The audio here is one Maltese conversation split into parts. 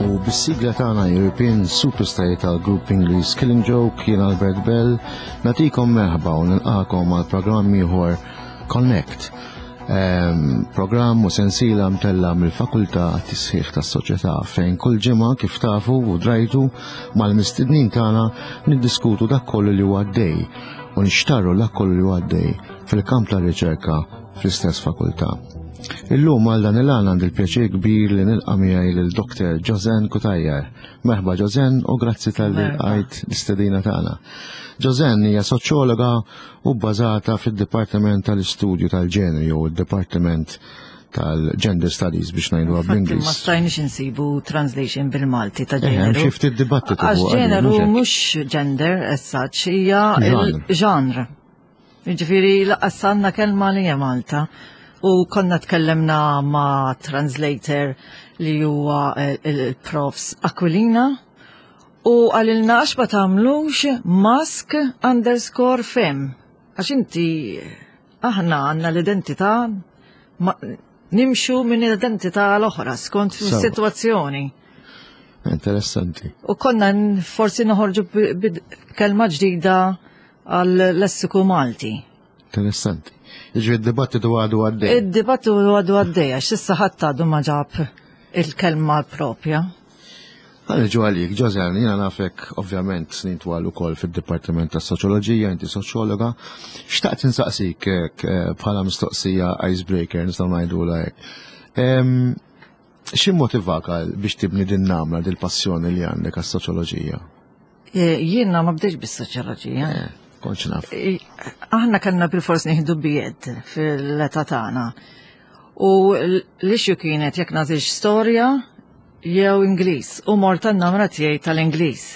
U bis-sigla tagħna European Superstar tal-grupp Ingliż Killing Joke jien Albert Bell nagħtikom merħba u nilqakom għal programm ieħor Connect. Ehm, programm u sensiela mtella mill-Fakultà għat-Tisħiħ tas-Soċjetà fejn kull ġimgħa kif tafu u drajtu mal-mistednin tagħna niddiskutu dak kollu li huwa għaddej u nixtarru dak kollu li huwa għaddej fil-kamp tar-riċerka fl-istess fakultà. Illum għal dan il-għan għandi l-pjaċir kbir li nilqa' miegħi lil Dr. Josen Kutajjar. Merħba Josen u grazzi tal-li għajt l-istedina tagħna. Josen hija soċjologa u bbażata fid-Dipartiment tal-Istudju tal-Ġeneri jew id-Dipartiment tal-Gender Studies biex ngħidu bl-Ingliż. Ma stajniex insibu translation bil-Malti ta' eh, ġeneru. Hemm xi ftit dibattitu. Għax ġeneru mhux gender as such, hija il-genre. Jiġifieri laqqas għandna kelma li hija Malta. U konna tkellemna ma' translator li huwa il-profs Aquilina U qalilna għax ma tagħmlux mask underscore fem. Għax inti aħna għandna l-identità nimxu minn identità l-oħra skont is-sitwazzjoni. Interessanti. U konna forsi noħorġu kelma ġdida għal lessiku Malti. Interessanti. Iġri id-dibattitu għadu għaddej. Id-dibattitu għadu għaddej, għax issa ħadd għadu ma ġab il-kelma propja. Ħanġu għalik, Ġożan, jiena nafek ovvjament snin twal ukoll fid-Dipartiment tas Soċjoloġija, inti soċjologa. Xtaqt insaqsik eh, bħala mistoqsija icebreaker nistgħu ngħidu hekk. Xi motivak biex tibni din namra dil passjoni li għandek għas-soċjoloġija? Eh, jiena ma bdejx bis-soċjoloġija. Eh, kontx naf. Aħna kellna bil-fors nieħdu bied fil-età tagħna. U l-issue kienet jekk nagħtix storja jew Ingliż u mort għan-namra tiegħi tal-Ingliż.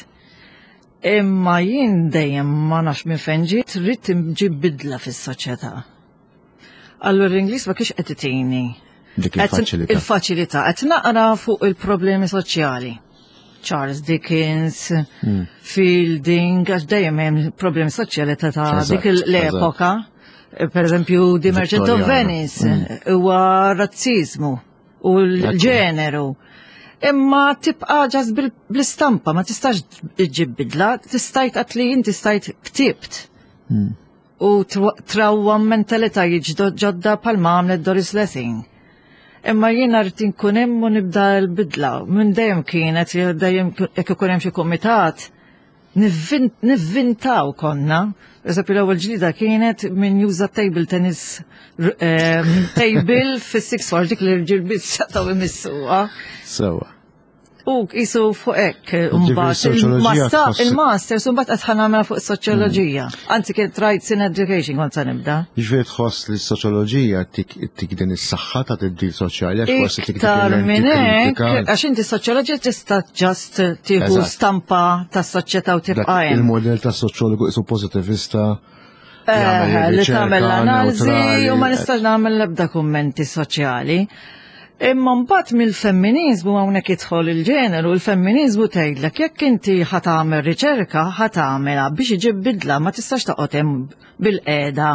Imma jien dejjem ma nafx minn fejn ġiet rrid inġib bidla fis-soċjetà. Allura l-Ingliż ma kienx qed itini. Dik il-faċilità. Il-faċilità qed naqra fuq il-problemi soċjali. Charles Dickens, hmm. Fielding, għax dejjem hemm problemi soċjali ta' dik l-epoka. Per eżempju, The Merchant of Venice hmm. huwa razzizmu u l-ġeneru. Imma tibqa ġas bl-istampa, ma tistax iġib bidla, tistajt għatli inti stajt ktibt. Hmm. U trawwa mentalitajiet ġodda palma għamlet Doris Lessing. Imma jiena rrid inkun hemm u nibda l-bidla. Minn dejjem kienet, dejjem jekk ikun hemm xi kumitat, nivvintaw konna. Eżempju l-ewwel ġlida kienet minn juża table tennis ehm, table fis-six four dik li rġiel biss setgħu imissuha. Sewa. U jisu fuq hekk, mbagħad il-master mbagħad qed ħanamela fuq soċjoloġija. Mm. Anzi kien rights in education kont se nibda. Jiġifieri tħoss li s-soċjoloġija tik din is-saħħa ta' tibdil soċjali għax forsi tik minn hekk, għax inti soċjoloġija tista' ġast tieħu stampa tas-soċjetà u tibqa' hemm. Il-modell tas-soċjologu isu pozitivista Eh, li tagħmel l-analiżi u ma nistax nagħmel l-ebda kummenti soċjali. Imma mbagħad mill-femminizmu hawnhekk jidħol il-ġeneru, il-femminizmu tgħidlek jekk inti ħa tagħmel riċerka ħa tagħmilha biex iġib bidla ma tistax toqgħod hemm bil-qiegħda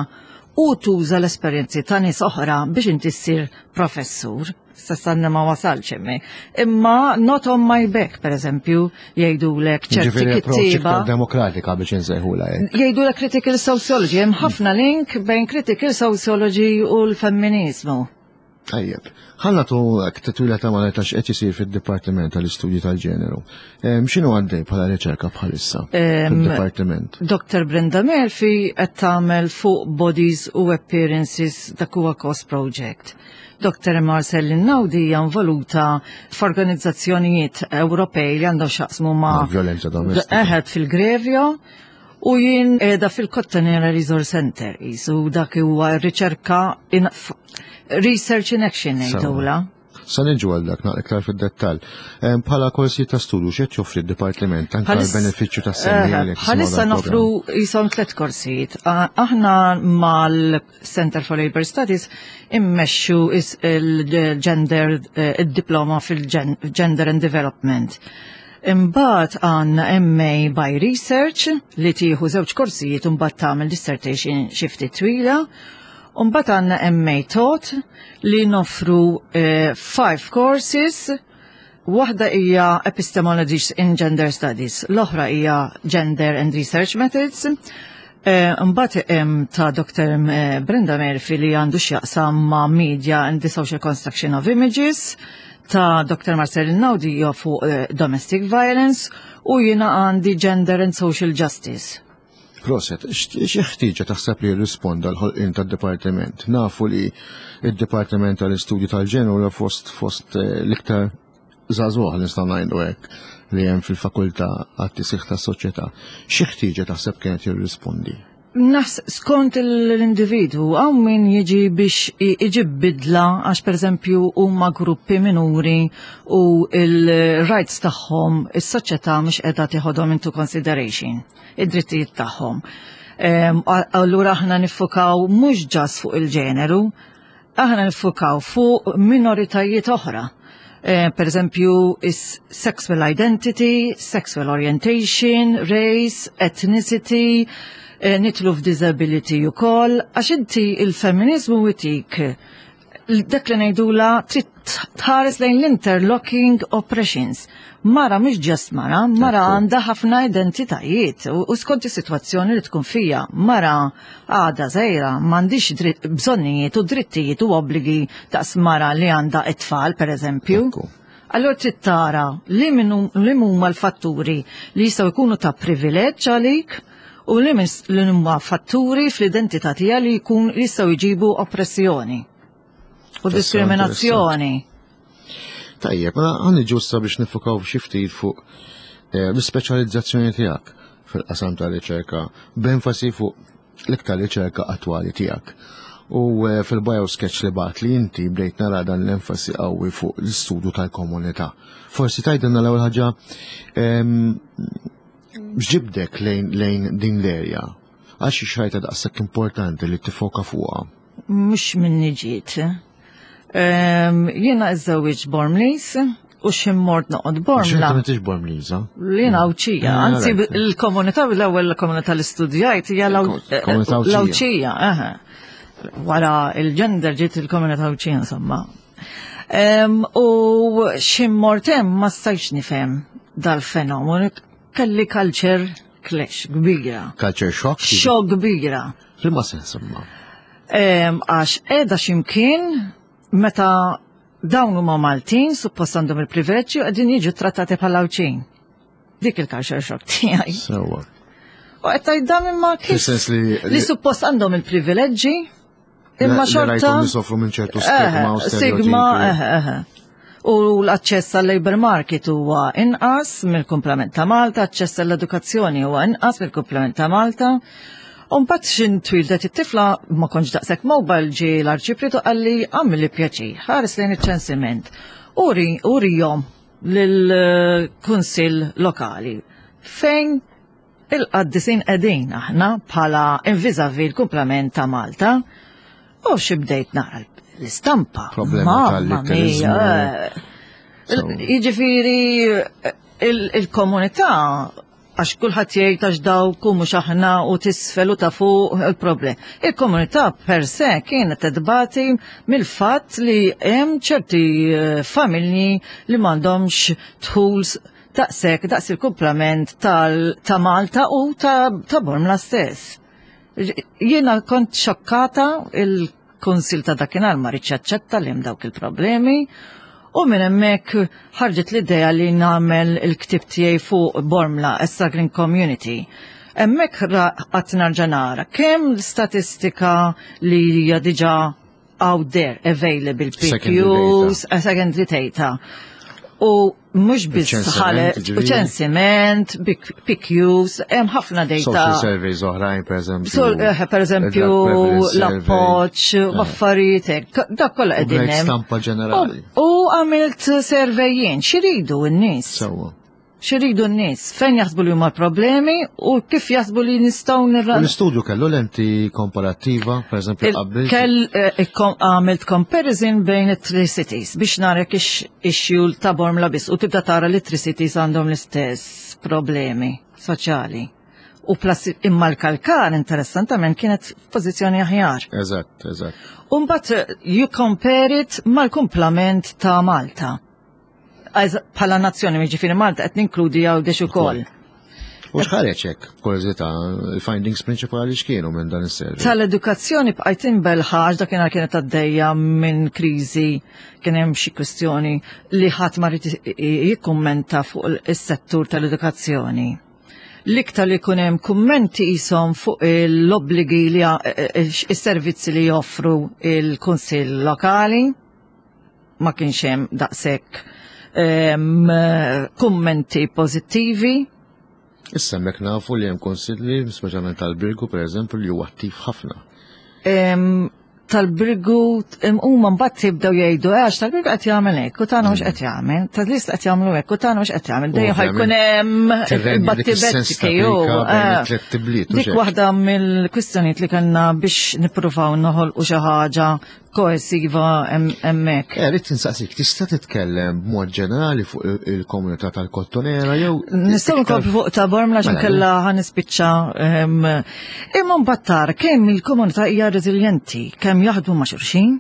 u tuża l-esperjenzi ta' nies oħra biex inti ssir professur. S'issa ma wasalx hemmhekk. Imma not on my back, per eżempju, jgħidulek ċerti kittieba. demokratika biex insejħula hekk. Jgħidulek critical sociology, hemm ħafna link bejn critical sociology u l-femminizmu. Tajjeb. Ħalla tu titwila ta' malajta x'qed isir fid-Dipartiment tal-Istudji tal-Ġeneru. X'inhu għaddej bħala riċerka bħalissa fid-Dipartiment? Dr. Brenda Murphy qed tagħmel fuq bodies u appearances dak huwa cost project. Dr. Marcel Naudi hija involuta f'organizzazzjonijiet Ewropej li għandhom x'jaqsmu ma' violenza domestika. Eħed fil-Grevio u jien qiegħda fil-Kottonera Resource Center isu dak huwa riċerka in, research in action ngħidula. Sa niġu għal dak naqra iktar fid-dettall. Bħala korsi ta' studju x'qed joffri d-dipartiment anke għall-benefiċċju tas-semmiegħa li Bħalissa noffru jisom tliet korsijiet. Aħna mal-Center for Labor Studies immexxu il-gender eh, id-diploma fil-Gender and Development. Imbagħad għandna MA by Research li tieħu żewġ korsijiet u mbagħad tagħmel dissertation xi ftit twila. U mbagħad għandna MA Taught li noffru 5 courses. Waħda hija Epistemologies in Gender Studies, l-oħra hija Gender and Research Methods. Mbagħad hemm ta' Dr. Brenda Murphy li għandu x'jaqsam ma' Media and the Social Construction of Images, ta' Dr. Marcel Naudi hija fuq Domestic Violence u jiena għandi Gender and Social Justice. Proset, xi ħtieġa taħseb li jirrisponda l-ħolqien tad-dipartiment? Nafu li id-Dipartiment tal-Istudju tal-Ġeneru fost fost l-iktar żagħżugħ li nistgħu ngħidu hekk li hemm fil-fakultà għat-tisħiħ tas-soċjetà. Xi ħtieġa taħseb kienet jirrispondi? Nas skont l-individwu, hawn min jiġi biex iġib bidla għax pereżempju huma gruppi minuri u il-rights tagħhom is-soċjetà mhux qiegħda tieħodhom into consideration, id-drittijiet tagħhom. Allura aħna niffukaw mhux ġas fuq il-ġeneru, aħna niffukaw fuq minoritajiet oħra. Per eżempju, is sexual identity, sexual orientation, race, ethnicity, nitlu f'disability u koll, għax inti il-feminizmu itik dak li ngħidula trid tħares lejn l-interlocking oppressions. Mara mhux just mara, mara għandha ħafna identitajiet u skont is-sitwazzjoni li tkun fija. Mara għadha żgħira m'għandix bżonnijiet u drittijiet u obbligi daqs mara li għandha it-tfal, pereżempju. Allora trid tara li huma l-fatturi li jistgħu jkunu ta' privileġġ għalik u li huma fatturi fl-identità tiegħek li jkun jistgħu jġibu oppressjoni u diskriminazzjoni. Tajjeb, mela ħa niġu issa biex nifukaw xi ftit fuq l-ispeċjalizzazzjoni tiegħek fil-qasam ta' riċerka, b'enfasi fuq l-iktar riċerka attwali tiegħek. U fil-biosketch li bat li inti bdejt nara dan l-enfasi qawwi fuq l-istudju tal-komunità. Forsi tgħidilna l-ewwel ħaġa x'ġibdek lejn din l-erja? Għax xi xajta daqshekk importanti li tifoka fuqha? Mhux minni ġiet. Jiena iżżewwiġ Bormlis u ximmort noqgħod Bormla. X'inti m'intix Bormliża? Jiena Għawdxija, anzi l-komunità l-ewwel komunità li studjajt hija l-Għawdxija. Wara il-ġender ġiet il-komunità Għawdxija insomma. U ximmort hemm ma stajtx nifhem dal-fenomenu. Kelli culture clash kbira. Culture shock? Shock kbira. F'liema sens imma? Għax qiegħda x'imkien meta dawn huma Maltin, suppost għandhom il-privileġġi u qegħdin jiġu trattati bħala Għawdxin. Dik il-culture shock tiegħi. Sewwa. U qed tgħid dan imma kif Fis-sens li li suppost għandhom il-privileġġi imma xorta li sofru minn ċertu stigma u Stigma, eħe. U l-aċċess għal labor market huwa inqas mill-kumplament ta' Malta, aċċess għall-edukazzjoni huwa inqas mill-kumplament ta' Malta. U mbagħad xin twildet it-tifla ma kontx daqshekk mobile ġie l-arċiprietu qalli għamilli pjaċir, ħares lejn iċ-ċensiment. Uri, urihom lill-kunsill lokali fejn il-qaddisin qegħdin aħna bħala vis-à-vis l-kumplament ta' Malta. U xi bdejt nara l-istampa. Problema tal-litterizmu. Jiġifieri il-komunità għax kulħadd jgħid għax dawk u mhux aħna u tisfel u ta' fuq il-problem. Il-komunità per se kienet tbati mill-fatt li hemm ċerti familji li m'għandhomx dħul daqshekk daqs il-kumplament ta' Malta u ta' Bormla stess. Jiena kont xokkata il-Kunsil ta' dakinhar ma riedx jaċċetta li hemm dawk il-problemi u minn hemmhekk ħarġet l-idea li nagħmel il-ktieb tiegħi fuq Bormla, a Struggling Community. Hemmhekk qatt narġa' nara kemm l-istatistika li hija diġà out there, available, Secondary PQs, secondary data. U mhux biss ħalet, u ċensiment, PQs, hemm ħafna data. Social surveys oħrajn, per eżempju. Eh, per eżempju, l-appoġġ, eh. affarijiet hekk, dak kollha qegħdin hemm. Stampa ġenerali. U għamilt survejjien, x'iridu n-nies? Sewwa. X'iridu n-nies, fejn jaħsbu li huma l-problemi u kif jaħsbu li nistgħu nirra. L-istudju kellu lenti komparattiva, per eżempju, qabel. Kell eh, għamilt comparison bejn it-three cities biex nara jekk issue ta' Bormla biss u tibda tara li three cities għandhom l-istess problemi soċjali. U plus imma l-kalkar interessantament kienet f'pożizzjoni aħjar. Eżatt, eżatt. Umbat eh, you compare it mal-kumplament ta' Malta. Bħala nazzjoni, jiġifieri Malta qed ninkludi Għawdex ukoll. U x'ħareġ hekk, b'kurżità, il-findings prinċipali x'kienu minn dan is-survey? Tal-edukazzjoni bqajt inbelħa għax dakinhar kienet għaddejja minn kriżi, kien hemm xi kwistjoni li ħadd ma rid jikkummenta fuq is-settur tal-edukazzjoni. L-iktar li jkun hemm kummenti qishom fuq l-obbligi li is-servizzi li joffru il-Kunsill Lokali ma kienx hemm daqshekk kummenti pożittivi. Issa hemmhekk nafu li hemm konsilli, speċjalment tal-Birgu pereżempju, li huwa attiv ħafna. Tal-Birgu huma mbagħad tibdew jgħidu eh, għax tal-Birgu qed jagħmel hekk u tagħna mhux qed jagħmel, tal-list qed jagħmlu hekk u tagħna mhux qed jagħmel. Dejjem ħajkun hemm il-battibetti eh. Dik waħda mill-kwistjonijiet li kellna biex nippruvaw noħolqu xi ħaġa koesiva hemmhekk. Eh, rrid insaqsik, tista' titkellem b'mod ġenerali fuq il-komunità tal-Kottonera jew Nistgħu nkomplu fuq ta' Bormla mela, x'inkella ħa nispiċċa ehm, imma mbagħad tara kemm il-komunità hija reżiljenti, kemm jaħdmu ma' xulxin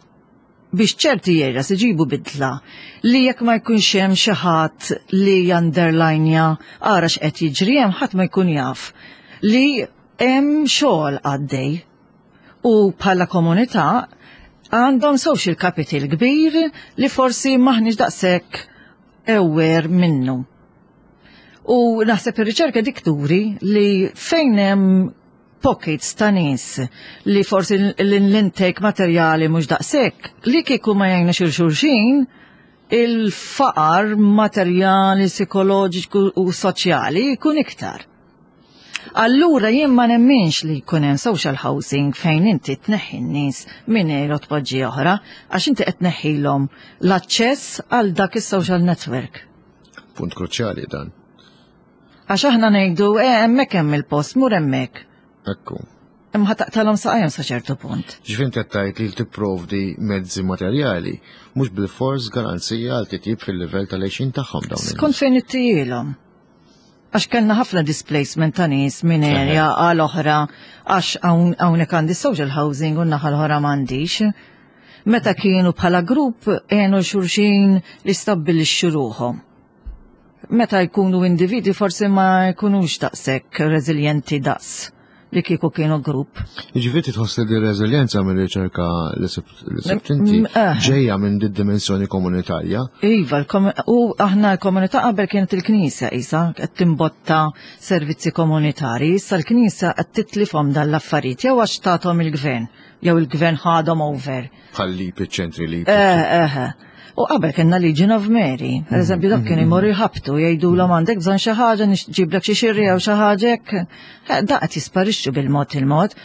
biex ċerti areas iġibu bidla li jekk ma jkunx hemm xi ħadd li janderlajnja ara x'qed jiġri hemm ħadd ma jkun jaf li hemm xogħol għaddej. U bħala komunità għandhom social capital kbir li forsi maħniex daqshekk aware minnu. U naħseb ir-riċerka dik turi li fejn hemm pockets ta' nies li forsi l-intake materjali mhux daqshekk li kieku ma jgħinux il xulxin il-faqar materjali, psikoloġiku u soċjali jkun iktar. Allura jien ma nemminx li jkun hemm social housing fejn inti tneħħi n-nies minn ejra tpoġġi oħra, għax inti qed tneħħilhom l-aċċess għal dak is-social network. Punt kruċjali dan. Għax aħna ngħidu eh hemmhekk hemm il-post, mur hemmhekk. Ekku. Imma taqtalhom saqajhom sa ċertu punt. Ġifieri qed tgħid li tipprovdi mezzi materjali, mhux bil-fors garanzija għal titjib fil-livell tal-għixin tagħhom dawn. Skont fejn ittijilhom. Għax kellna ħafna displacement ta' nies minn area għal oħra għax hawnhekk għandi social housing u naħa l-oħra m'għandix. Meta kienu bħala grupp għenu xulxin li stabbilixxu ruħhom. Meta jkunu individwi forsi ma jkunux daqshekk reżiljenti daqs li kieku kienu grupp. Jiġifieri tħoss li din reżiljenza minn riċerka li sibt inti eh. ġejja minn din dimensjoni komunitarja. Iva, u aħna l-komunità qabel kienet il-Knisja isa qed timbotta servizzi komunitarji, issa l-Knisja qed titlifhom dan l-affarijiet jew għax tagħthom il-gvern, jew il-gvern ħadhom over. Bħal lip iċ-ċentri lip. Eh, eh. U qabel kellna Legion of Mary, per eżempju dak kienu jmorru jħabtu jgħidulhom għandek bżonn xi ħaġa nġiblek xi xirri jew xi ħaġa hekk. Eh, da qed jisparixxu bil-mod il-mod.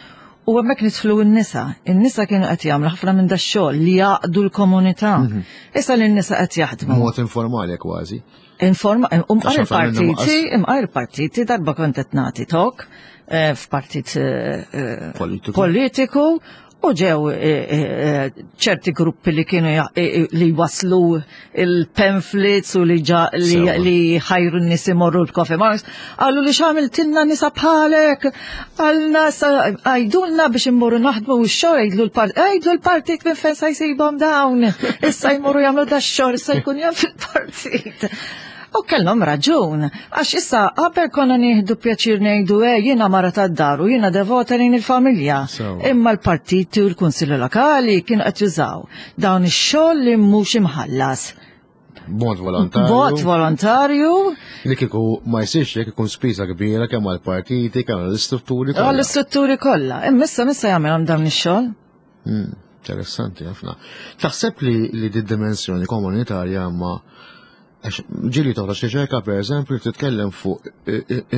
U hemmhekk nidħlu n-nisa. In-nisa kienu qed jagħmlu ħafna minn dax-xogħol li jaqdu l-komunità. Mhm. Issa li n-nisa qed jaħdmu. Mod informali kważi. Informa, umqar il-partiti, imqar il-partiti darba kont qed nagħti tok eh, f'partit eh, politiku U ġew eh, eh, eh, ċerti gruppi li kienu li waslu il-pamphlets u li li ħajru n-nies imorru l-coffee marks, qalu li x'għamiltilna nisa bħalek, għalna għajdulna biex immorru naħdmu u x-xogħol għidlu l-partit, għidlu l-partit minn fejn sa jsibhom dawn, issa jmorru jagħmlu da x-xogħol, issa jkun jaf il-partit. U kellhom raġun, għax issa qabel konna nieħdu pjaċir ngħidu eh jiena mara tad-dar u jiena devota lejn il-familja. Imma l-partiti u l-kunsilli lokali kienu qed jużaw dawn ix-xogħol li mhux imħallas. B'mod volontarju. B'mod volontarju. Li kieku ma jsirx jekk ikun spiża kbira kemm għall-partiti, kemm għall-istrutturi kollha. Għall-istrutturi kollha. Imma issa missa jagħmilhom dawn ix-xogħol. Hmm, interessanti ħafna. Taħseb li li di dimensjoni komunitarja ma Għax ġieli toħroġ riċerka pereżempju li titkellem fuq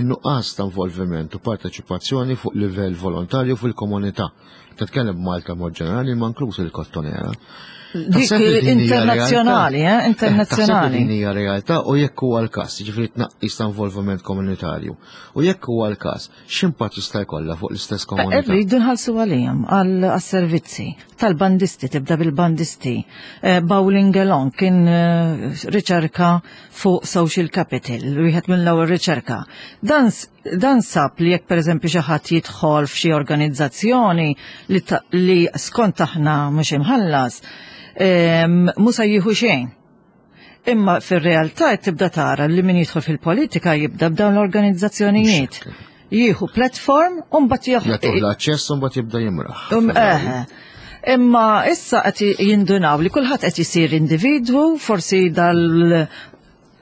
in-nuqqas ta' involviment u parteċipazzjoni fuq livell volontarju fil-komunità. Titkellem b'Malta mod ġenerali ma inkluż il-Kottonera. Dik internazzjonali, eh? Internazzjonali. Din hija realtà u jekk huwa l-każ, jiġifieri tnaqqis ta' involviment komunitarju. U jekk huwa l-każ, x'impatt jista' jkollha fuq l-istess komunità? Irridu nħallsu għalihom għas-servizzi tal-bandisti, tibda bil-bandisti. Eh, Bowling Along kien eh, riċerka fuq social capital, wieħed mill-ewwel riċerka. Dan, dan sab li jekk pereżempju xi ħadd jidħol f'xi organizzazzjoni li, li skont aħna mhux imħallas, ehm, mhux se jieħu xejn. Imma fir-realtà qed tibda tara li min jidħol fil-politika jibda b'dawn l-organizzazzjonijiet. Jieħu platform u mbagħad jieħu. Jagħtuh l-aċċess u mbagħad jibda jimraħ. Um, eh. Imma issa qed jindunaw li kulħadd qed isir individwu, forsi dal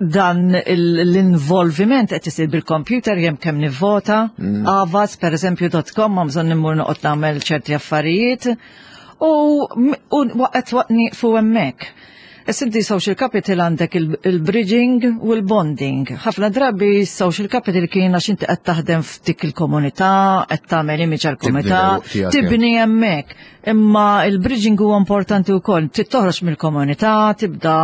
dan l-involviment qed isir bil-computer jem kemm nivvota, mm. avas per eżempju .com ma bżonn immur noqgħod nagħmel ċerti affarijiet u waqgħet waqt nieqfu hemmhekk. Issa inti social capital għandek il-bridging u l-bonding. Ħafna drabi social capital kien għax inti qed taħdem f'dik il-komunità, qed tagħmel image għall-komunità, tibni hemmhekk. Imma il-bridging huwa importanti wkoll. Trid toħroġ mill-komunità, tibda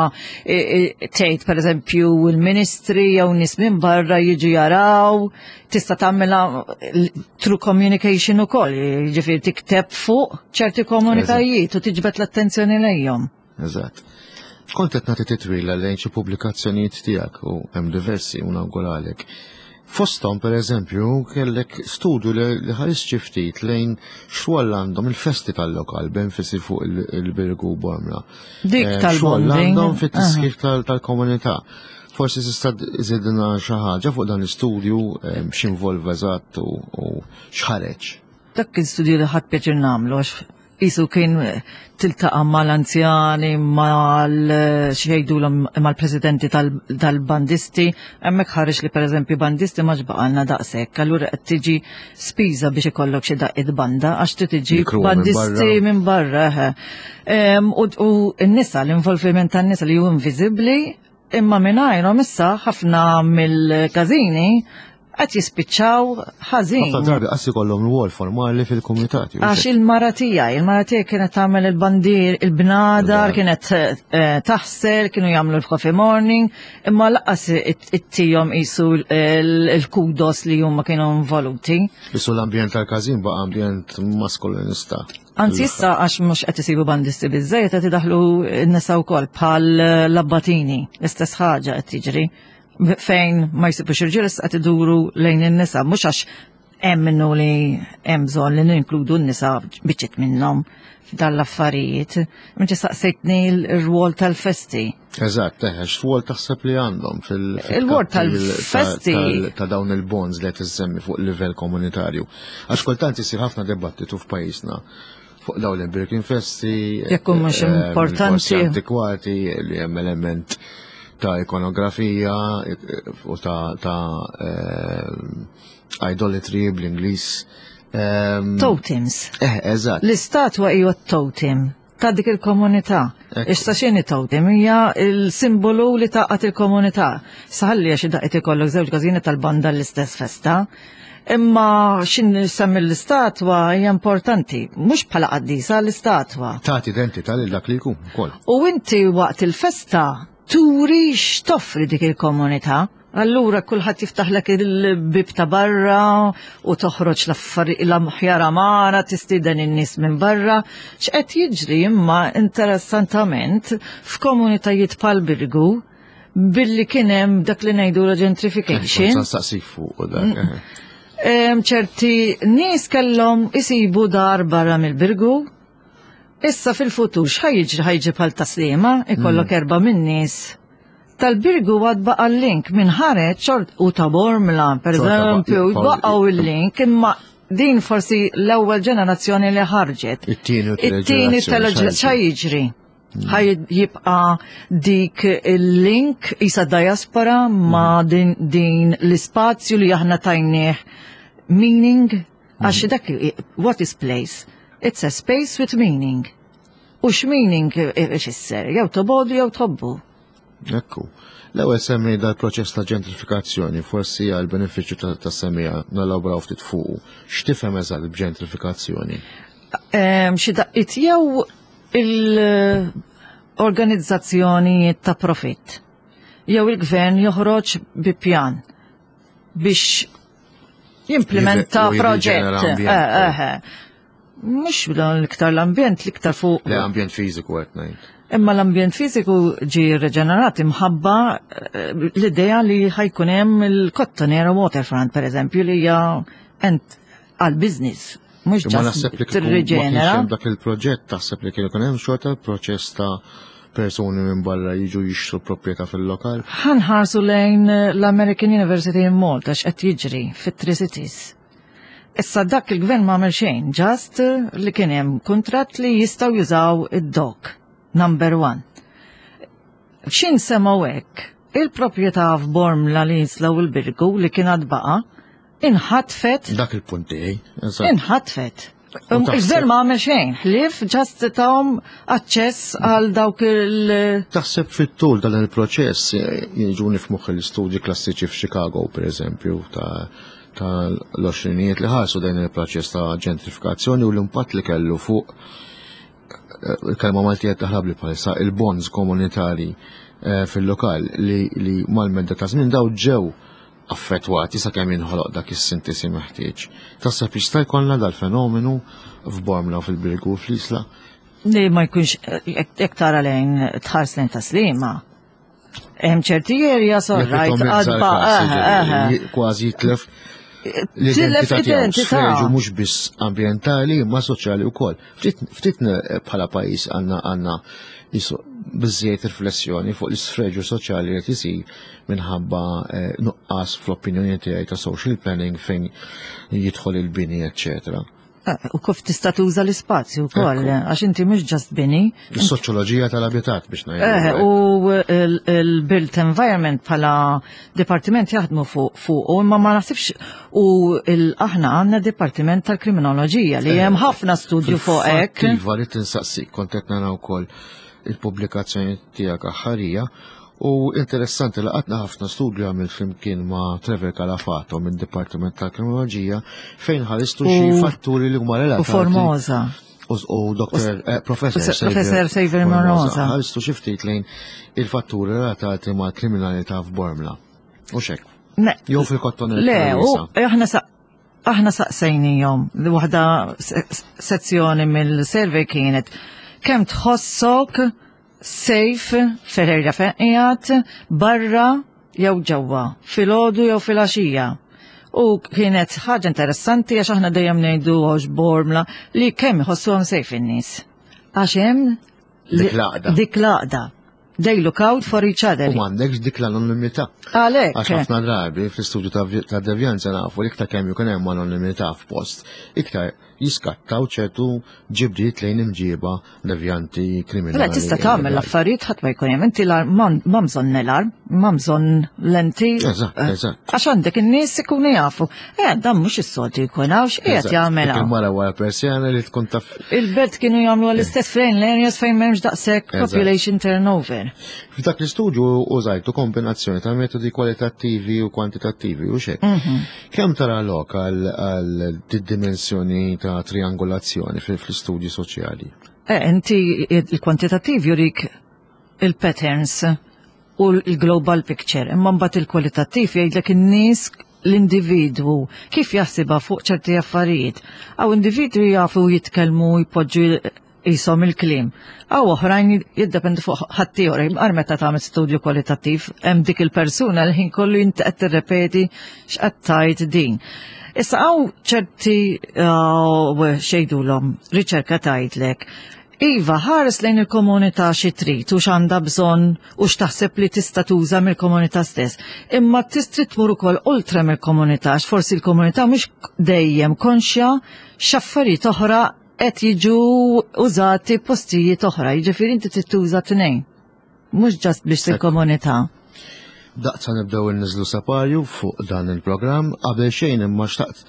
tgħid pereżempju il-ministri jew nies minn barra jiġu jaraw, tista' tagħmilha through communication ukoll, jiġifieri tikteb fuq ċerti komunitajiet u tiġbed l-attenzjoni lejhom. Eżatt. Kont qed nagħti titwila lejn xi pubblikazzjonijiet tiegħek u hemm diversi u nawguralek. Fosthom pereżempju kellek studju li ħares xi ftit lejn xogħol għandhom il-festi tal-lokal b'enfasi fuq il-Birgu Bormla. Dik eh, tal-xogħol għandhom fit-tiskif tal-komunità. Forsi tista' żidna xi ħaġa fuq dan l-istudju eh, x'involva eżatt u x'ħareġ. Dak kien studju li ħadd pjaċir nagħmlu għax Isu kien tiltaqa' mal-anzjani, mal xejdulhom mal-presidenti tal-bandisti, hemmhekk ħareġ li pereżempju bandisti ma ġbaqalna daqshekk, allura qed tiġi spiża biex ikollok xi daqqiet banda għax trid tiġi bandisti minn barra. U n-nisa, l-involviment tan-nisa li hu inviżibbli, imma mingħajrhom issa ħafna mill-każini qed jispiċċaw ħażin. Ħafna drabi qas ikollhom rwol formali fil-kumitat. Għax il-mara tiegħi, il-mara tiegħi kienet tagħmel il-bandir, il-bnadar, kienet eh, taħsel, kienu jagħmlu l-coffee morning, imma laqas it-tihom qisu l-kudos li huma kienu involuti. Isu l-ambjent tal-każin baqa' ambjent maskulinista. Anzi issa għax mhux qed isibu bandisti biżejjed qed idaħlu n-nisa wkoll bħal l-abbatini, l-istess ħaġa qed tiġri. fejn ma jsibux irġiel issa qed iduru lejn in-nisa mhux għax hemm minnu li hemm bżonn li ninkludu n-nisa biċċiet minnhom f'dan l-affarijiet. Inti saqsejtni l-rwol tal-festi. Eżatt, eħe, x'rwol taħseb li għandhom fil- Il-rwol tal-festi. Ta' dawn il-bonds li qed issemmi fuq livell komunitarju. Għax kultant isir ħafna dibattitu f'pajjiżna fuq dawn l-breaking festi. Jekk mhux eh, importanti. Antikwati li hemm element ta' ikonografija eh, u ta', ta eh, idolatry bl-Ingliż. Ehm, Totems. Eh, eżatt. L-istatwa hija totem ta' dik il-komunità. Issa x'inhi totem? Hija il-simbolu li taqgħat il-komunità. Saħalli għax daqqiet ikollok żewġ każini tal-banda l-istess festa. Imma xin semmi l-istatwa hija importanti, mhux bħala qaddisa l-istatwa. Tagħti identità lil dak li jkun ukoll. U inti waqt il-festa turi x'toffri dik il-komunità. Allura kulħadd jiftaħlek il-bib ta' barra u toħroġ l-aħjar amara tistieden in-nies minn barra. X'qed jiġri imma interessantament f'komunitajiet bħal Birgu billi kien hemm dak li ngħidu la gentrification. Saqsik fuq dak. Mm. Eh. Ċerti nies kellhom isibu dar barra mill-Birgu. Issa fil-futur x'ħaj jiġri ħajġi bħal taslima, ikollok mm. erba' min-nies tal-Birgu għad baqa l-link minn ħareġ xort u ta' Bormla, per eżempju, baqgħu il-link imma din forsi l-ewwel ġenerazzjoni li ħarġet. It-tieni u it-tieni tal-ġenerazzjoni jiġri. Ħaj jibqa dik il-link isa diaspora ma mm. din, din l-ispazju li aħna tajnieh meaning għax mm. dak what is place? It's a space with meaning. U x'meaning ifisser? Jew tobodu jew tħobbu. Ekku. L-ewwel semmi dal-proċess ta' ġentrifikazzjoni, forsi għal benefiċċju ta' semmija nalabraw ftit fuqu. X'tifhem eżatt b'ġentrifikazzjoni? Xi daqqiet jew il-organizzazzjoni ta' profitt jew il-gvern joħroġ bi pjan biex jimplementa proġett. Eh, eh, eh. Mhux l-iktar l-ambjent, l-iktar fuq. L-ambjent fiżiku qed ngħid. Imma l-ambjent fiżiku ġi reġenerat imħabba l-idea li ħajkun hemm il-Kottonera Waterfront pereżempju li hija għal business. Mhux ġast tirriġenera. Dak il-proġett taħseb li kien ikun hemm xorta proċess ta' persuni minn barra jiġu jixtru proprjetà fil-lokal? Ħanħarsu lejn l-American University in Malta x'qed jiġri fit-Tri Cities. Issa dak il-gvern ma għamel xejn, ġast li kien hemm kuntratt li jistgħu jużaw id-dok, number one. X'in semgħu hekk? Il-proprjetà f'Bormla li jislaw il-Birgu li kien għad baqa' inħatfet. Dak il-punt tiegħi. Inħatfet. Um, il-gvern ma għamel xejn, ħlief ġast tahom aċċess għal dawk il- Taħseb fit-tul dan il-proċess eh, jiġuni f'moħħ l-istudji klassiċi f'Chicago, per eżempju, ta' tal-20 li ħarsu dan il-proċess ta' ġentrifikazzjoni u l-impatt li kellu fuq eh, il-kelma Maltija taħrab li bħalissa il-bonds komunitari eh, fil-lokal li, li mal-medda ta' żmien daw ġew affettwati sakemm jinħoloq dak is-sintesi meħtieġ. Taħseb jista' jkollna dal-fenomenu f'Bormla u fil-Birgu u fl-Isla? Li ma jkunx jekk tara lejn tħares lejn taslima. Hemm ċerti erja sorrajt għadba. Kważi jitlef l-identità tiegħu mhux biss ambjentali imma soċjali wkoll. Ftit bħala pajjiż għandna għandna biżżejjed riflessjoni fuq l-isfreġju soċjali li qed isir minħabba eh, nuqqas fl-opinjoni tiegħi ta' social planning fejn jidħol il-bini, eċċetera. Eh, u kif tista' tuża l-ispazju wkoll, għax inti mhux ġast bini. Is-soċjoloġija tal-abitat biex ngħidu. Eh, u l-built environment bħala dipartiment jaħdmu fuq u imma ma naħsibx u aħna għandna dipartiment tal-kriminoloġija li hemm eh, ħafna studju fuq hekk. Iva li tinsaqsik kont qed nara wkoll il-pubblikazzjoni tiegħek aħħarija U interessanti li qatna ħafna studju għamil flimkien ma' Trevor Calafato minn Dipartiment tal-Kriminoloġija fejn ħaristu xi fatturi li huma relatati. U Formosa. U Dr. Eh, Professor Professor Xavier Formosa. Ħaristu xi ftit lejn il-fatturi relatati ma' kriminalità f'Bormla. U xek. Jew fil-kotton Le, u aħna aħna saqsejnijom, li waħda sezzjoni mill-survey kienet kemm tħossok safe fil-area fejn qiegħed barra jew ġewwa, filgħodu jew filgħaxija. U kienet ħaġa interessanti għax aħna dejjem ngħidu għax bormla li kemm iħossuhom safe in-nies. Għax hemm dik l-għaqda. Dik l-għaqda. They look out for each other. U m'għandekx dik l-anonimità. Għalhekk. Għax ħafna drabi fl-istudju ta' devjanza nafu li iktar kemm jkun hemm anonimità f'post, iktar jiskattaw ċertu ġibdiet lejn imġieba devjanti kriminali. Mela tista' tagħmel l-affarijiet ħadd ma jkun hemm inti ma bżonn l-arm, ma bżonn lenti. Eżatt, eh, eżatt. Għax għandek in-nies ikunu jafu. Eh, dan mhux is-soltu jkun hawn x'qiegħed jagħmel. Il-mara wara persjana li tkun taf. Il-belt kienu jagħmlu għall-istess fejn l-areas fejn m'hemmx daqshekk population turnover. F'dak l-istudju użajtu kombinazzjoni ta' metodi kwalitattivi u kwantitattivi u xejn. Mhm. Kemm tara lok għal dimensjoni ta' triangolazzjoni fl-istudji soċjali? Eh, inti il-kwantitattiv jurik il-patterns u l-global picture, imma mbagħad il-kwalitattiv jgħidlek in-nies l-individwu kif jaħsibha fuq ċerti affarijiet. Għaw individwi jafu jitkellmu jpoġġu qishom il-kliem. Aw oħrajn jiddependi fuq ħaddieħor, imqar meta tagħmel studju kwalitattiv, hemm dik il-persuna l ħin kollu inti qed tirrepeti x'qed tgħid din. Issa hawn ċerti uh, xejdulhom riċerka tgħidlek Iva, ħares lejn il-komunità xi trid u x'għandha bżonn u x'taħseb li tista' tuża mill-komunità stess. Imma tistri tmur ukoll oltre mill-komunità, għax forsi l-komunità mhux dejjem konxja x'affarijiet oħra qed jiġu użati postijiet oħra, jiġifieri inti trid tuża tnejn. Mhux ġast biex il-komunità. Daqsa nibdew inniżlu separju fuq dan il-programm, qabel xejn imma xtaqt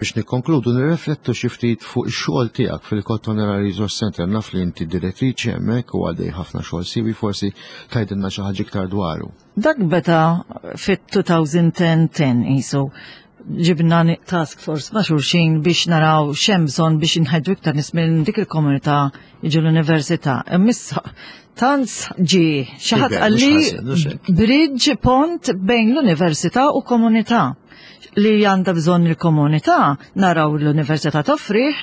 Biex nikkonkludu nirriflettu xi ftit fuq ix-xogħol tiegħek fil-Kottonera Resource Center. Naf li inti direttriċi hemmhekk u għaddej ħafna xogħol siwi, forsi tgħidilna xi ħaġa iktar dwaru. Dak beda fit-2010 qisu ġibna task force ma' xulxin biex naraw x'hemm bżonn biex inħeġġu iktar nies minn dik il-komunità jiġu l-università. Imma tant ġie xi ħadd qalli bridge pont bejn l-università u komunità li għandha bżonn il-komunità naraw l-università toffrih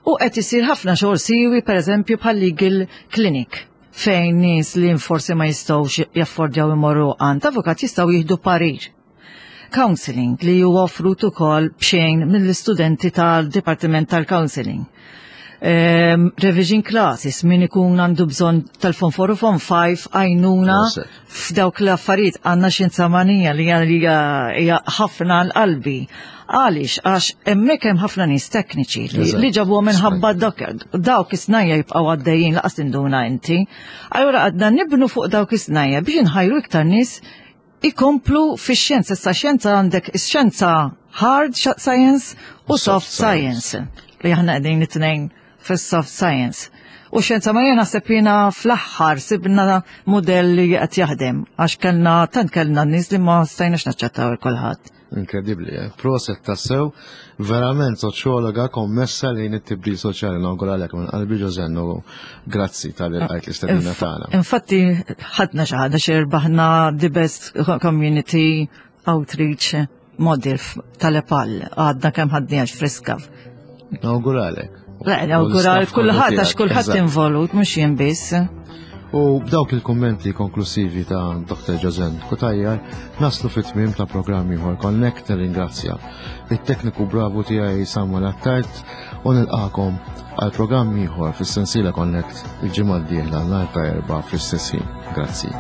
u qed isir ħafna xogħol siwi pereżempju bħal legal clinic fejn nies li forsi ma jistgħux jaffordjaw imorru għand avukat jistgħu jieħdu parir. Counseling li huwa offrut ukoll b'xejn mill-istudenti tal-Dipartiment tal-Counseling. Revision classes min ikun għandu bżonn tal-Form 4 u Form 5 għajnuna f'dawk l-affarijiet. Għandna xjenza manija li hija ħafna l-qalbi. Għaliex? Għax hemmhekk hemm ħafna nies tekniċi li ġabuha minħabba dawk is-snajja jibqgħu għaddejjin laqas tinduna inti. Allura għadna nibnu fuq dawk is-snajja biex inħajru iktar nies ikomplu fix-xjenza. Issa xjenza għandek ix-xjenza hard science u soft science li aħna qegħdin it-tnejn fis-soft science. U xjenza ma jena naħseb jiena fl-aħħar sibna modell li qed jaħdem għax kellna tant kellna nies li ma stajniex naċċettaw il kulħadd. Inkredibbli, eh? Proset tassew, verament soċjologa kommessa lejn it-tibdil soċjali. Nawguralek minn qalbi, Josanne, u grazzi talli lqajt l-istedina tagħna. Infatti ħadna xi ħaġa xi rbaħna the best community outreach model tal-EPAL, għadna kemm ħadniha friska. Nawguralek. Le, nawgural kulħadd għax kulħadd involut, mhux jien biss. U b'dawk il-kummenti konklusivi ta' Dr. Josanne Cutajar naslu fit-tmiem ta' programm ieħor Connect. Ringrazzja it-tekniku bravu tiegħi Samuel Attard u nilqakom għal programm ieħor fis-sensiela Connect il-ġimgħa d-dieħla nhar ta' Erbgħa fl-istess ħin. Grazzi.